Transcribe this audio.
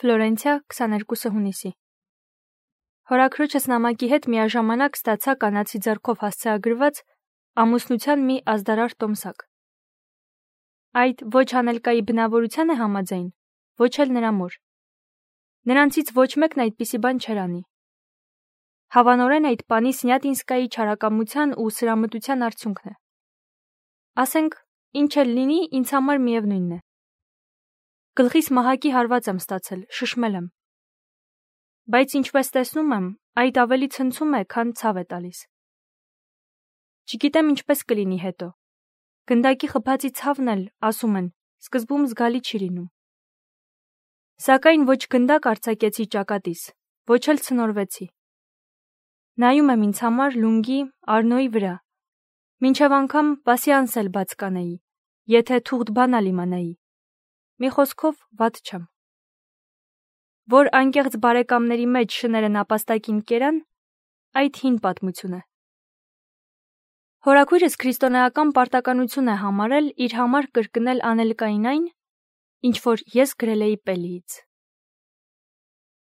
Ֆլորենցիա 22 հունիսի։ Հորաքրոջս նամակի հետ միաժամանակ ստացա կանացի ձեռքով հասցեագրված ամուսնության մի ազդարար տոմսակ։ Այդ ոչ Անելկայի բնավորության է համաձայն, ոչ էլ նրա մոր։ Նրանցից ոչ մեկն այդպիսի բան չէր անի։ Հավանորեն այդ պանի Սնյատինսկայի չարակամության ու սրամտության արդյունքն է։ Ասենք, ինչ էլ լինի, ինձ համար միևնույնն է։ Գլխիս մահակի հարված եմ ստացել, շշմել եմ։ Բայց ինչպես տեսնում եմ, այդ ավելի ցնցում է, քան ցավ է տալիս։ Չգիտեմ ինչպես կլինի հետո։ Գնդակի խփածի ցավն էլ, ասում են, սկզբում զգալի չի լինում։ Սակայն ոչ գնդակ արձակեցի ճակատիս, ոչ էլ ցնորվեցի։ Նայում եմ ինձ համար լունգի, Արնոյի վրա, մինչև անգամ պասյանս էլ բաց կանեի, եթե թուղթ բանալ իմանայի։ Մի խոսքով վատ չեմ։ Որ անկեղծ բարեկամների մեջ շները նապաստակին կերան, այդ հին պատմություն է։ Հորաքույրս քրիստոնեական պարտականություն է համարել իր համար կրկնել Անելկային այն, ինչ որ ես գրել էի Պելիից։